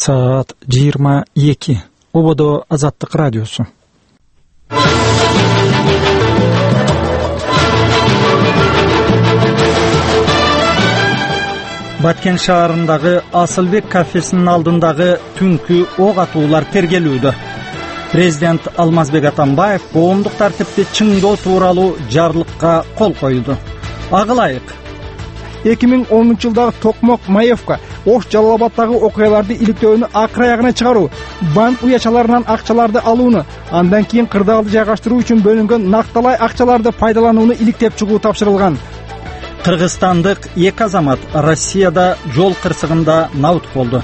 Саат 22. Ободо Азаттык радиосу. Баткен шаарындагы Асылбек кафесинин алдындагы түнкү ок атуулар тергелүүдө. Президент Алмазбек Атамбаев коомдук тартипти чыңдоо тууралуу жарлыкка кол койду. Агылайык. 2010-жылдагы Токмок Маевка Ош Жалал Абаддагы окуяларды иликтөөнү акыр аягына чыгаруу, банк уячаларынан акчаларды алууну, андан кийин кырдаалды жайгаштыруу үчүн бөлүнгөн накталай акчаларды пайдаланууну иликтеп чыгуу тапшырылган. Кыргызстандык эки азамат Россияда жол кырсыгында набыт болду.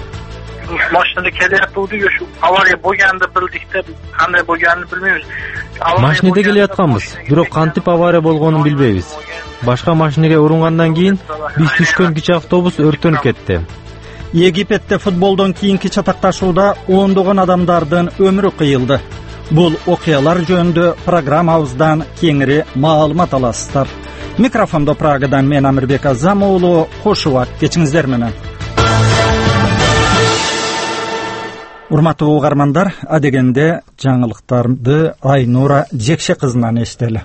Машинада келип ушу авария болгонду билдик да, кандай болгонун билбейбиз. Машинада келатканбыз, бирок кантип авария болгонун билбейбиз. Башка машинеге урунгандан кийин биз түшкөн кичи автобус өрттөнүп кетти. Египетте футболдон кийинки чатакташууда ондогон адамдардын өмүрү кыйылды. Бул окуялар жөнүндө программабыздан кеңири маалымат аласыздар. Микрофондо Прагадан мен Амирбек Азам уулу, кош убак кечиңиздер менен. Урматтуу угармандар, адегенде жаңылыктарды Айнура Жекше кызынан эстели.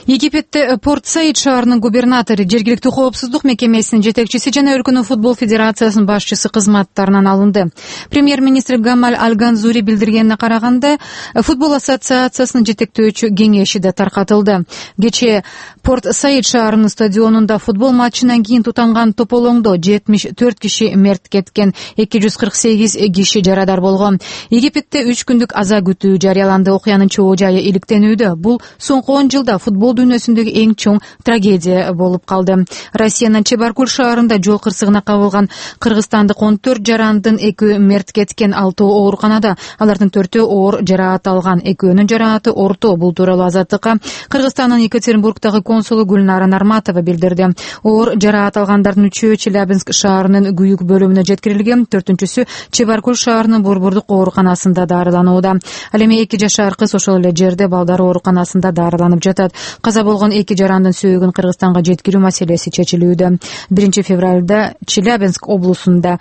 Египетте Порт Саид шаарынын губернатору, жергиликтүү коопсуздук мекемесинин жетекчиси жана өлкөнүн футбол федерациясынын башчысы кызматтарынан алынды. Премьер-министр Гамаль Аль-Ганзури билдиргенине караганда, футбол ассоциациясынын жетектөөчү кеңеши да таркатылды. Кечээ Порт Саид шаарынын стадионунда футбол матчынан кийин тутанган тополоңдо 74 киши мерт кеткен, 248 киши жарадар болгон. Египетте 3 күндүк аза күтүү жарыяланды. Окуянын чоо жайы иликтенүүдө. Бул соңку 10 жылда футбол дүйнөсүндөгү эң чоң трагедия болуп калды. Россиянын Чебаркуль шаарында жол кырсыгына кабылган кыргызстандык 14 жарандын 2 мерт кеткен, 6 ооруканада, алардын 4 оор жараат алган, 2-нүн жарааты орто. Бул тууралуу Азаттыкка Кыргызстандын Екатеринбургдагы консулу Гүлнара Нарматова билдирди. Оор жараат алгандардын 3-өө Челябинск шаарынын күйүк бөлүмүнө жеткирилген, 4-сү Чебаркуль шаарынын Борбордук ооруканасында дарыланууда. Ал эми 2 жашар кыз ошол эле жерде балдар ооруканасында дарыланып жатат. Каза болгон 2 жарандын сөөгүн Кыргызстанга жеткирүү маселеси чечилүүдө. 1 февралда Челябинск облусунда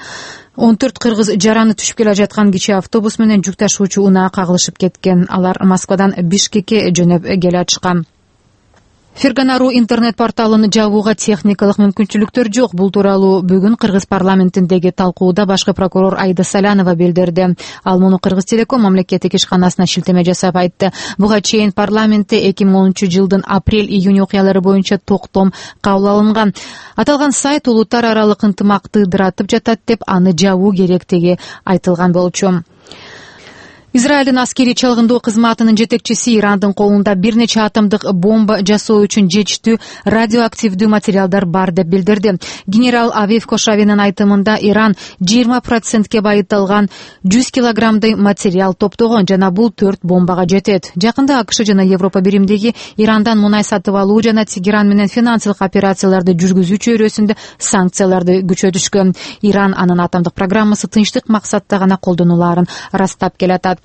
14 кыргыз жараны түшүп келе жаткан кичи автобус менен жүк ташуучу унаа кагылышып кеткен. Алар Москвадан Бишкекке жөнөп келе жатышкан. Ферганару интернет порталын жабууга техникалык мүмкүнчүлүктөр жок. Бул тууралуу бүгүн Кыргыз парламентиндеги талкууда башкы прокурор Айда Салянова билдирди. Ал муну Кыргыз Телеком мамлекеттик ишканасына шилтеме жасап айтты. Буга чейин парламентте 2010-жылдын апрель-июнь окуялары боюнча токтом кабыл алынган. Аталган сайт улуттар аралык ынтымакты ыдыратып жатат деп аны жабуу керектиги айтылган болчу. Израилдин аскерий чалгындоо кызматынын жетекчиси Ирандын колунда бир нече атомдук бомба жасоо үчүн жетиштүү радиоактивдүү материалдар бар деп билдирди. Генерал Авив Кошавинин айтымында Иран 20%ке байытылган 100 килограммдай материал топтогон жана бул 4 бомбага жетет. Жакында АКШ жана Европа биримдиги Ирандан мунай сатып алуу жана Тегеран менен финансылык операцияларды жүргүзүү чөйрөсүндө санкцияларды күчөтүшкөн. Иран анын атомдук программасы тынчтык максатта гана колдонулаарын ырастап келатат.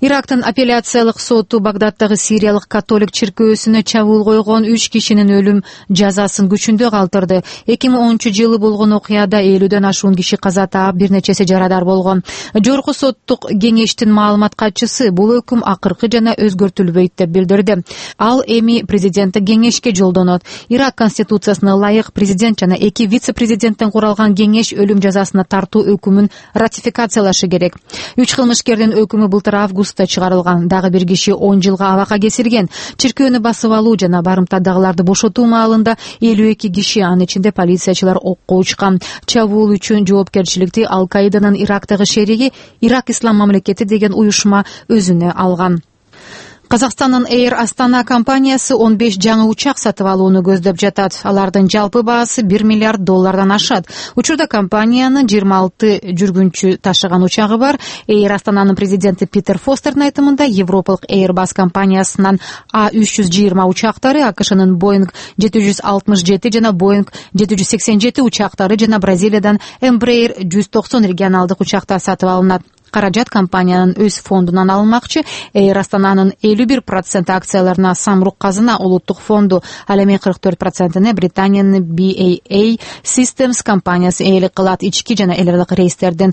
Ирактын апелляциялык соту Багдаддагы сириялык католик чиркөөсүнө чабуул койгон 3 кишинин өлүм жазасын күчүндө калтырды. 2010-жылы болгон окуяда 50ден ашуун киши каза таап, бир нечеси жарадар болгон. Жогорку соттук кеңештин маалымат катчысы бул өкүм акыркы жана өзгөртүлбөйт деп билдирди. Ал эми президенттик кеңешке жолдонот. Ирак конституциясына ылайык президент жана 2 вице-президенттен куралган кеңеш өлүм жазасына тартуу өкүмүн ратификациялашы керек. 3 кылмышкердин өкүмү былтыр августта чыгарылган. Дагы бир киши 10 жылга абакка кесилген. Чиркөөнү басып алуу жана барымтадагыларды бошотуу маалында 52 киши, анын ичинде полициячылар окко учкан. Чабуул үчүн жоопкерчиликти Ал-Каиданын Ирактагы шериги Ирак Ислам мамлекети деген уюшма өзүнө алган. Казакстандын Air Astana компаниясы 15 жаңы учак сатып алууну көздөп жатат. Алардын жалпы баасы $1 миллиард ашат. Учурда компаниянын 26 жүргүнчү ташыган учагы бар. Air Astanанын президенти Питер Фостердин айтымында Европалык Airbus компаниясынын A320 учактары, АКШнын Boeing 767 жана Boeing 787 учактары жана Бразилиядан Embraer 190 регионалдык учактар сатып алынат. Каражат компаниянын өз фондунан алынмакчы. Air Astanанын 51% акцияларына Самрук Казына улуттук фонду, ал эми 44%-ны Британиянын BAA Systems компаниясы ээлик кылат. Ички жана эл аралык рейстердин